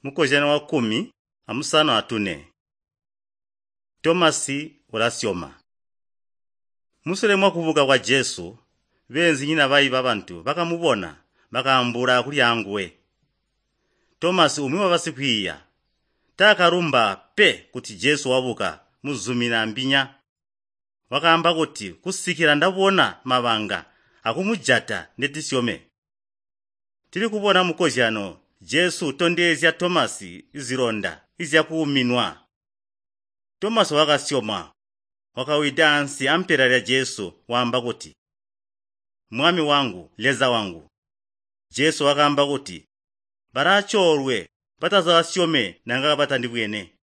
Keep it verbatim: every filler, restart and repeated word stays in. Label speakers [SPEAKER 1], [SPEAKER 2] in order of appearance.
[SPEAKER 1] Mukozyano wakkumi amusanu atune. Tomasi ulasyoma. Musule mwakubuka kwa Jesu, beenzinyina bayi babantu bakamubona bakaambuula kuli anguwe. Tomasi umwi wabasikwiiya taakalumba pe kuti Jesu wabuka muzumina mbinya. Wakaamba kuti, “Kusikila ndabona mabanga akumujata ndetisyome.” Tilikubona mukozyano Jesu utondezya Tomasi zilonda zyakuuminwa. Tomasi wakasyoma, wakawida ansi ampela lya Jesu waamba kuti, “Mwami wangu, Leza wangu!” Jesu wakaamba kuti, “Balaacoolwe batazasyome nanga batandibwene.”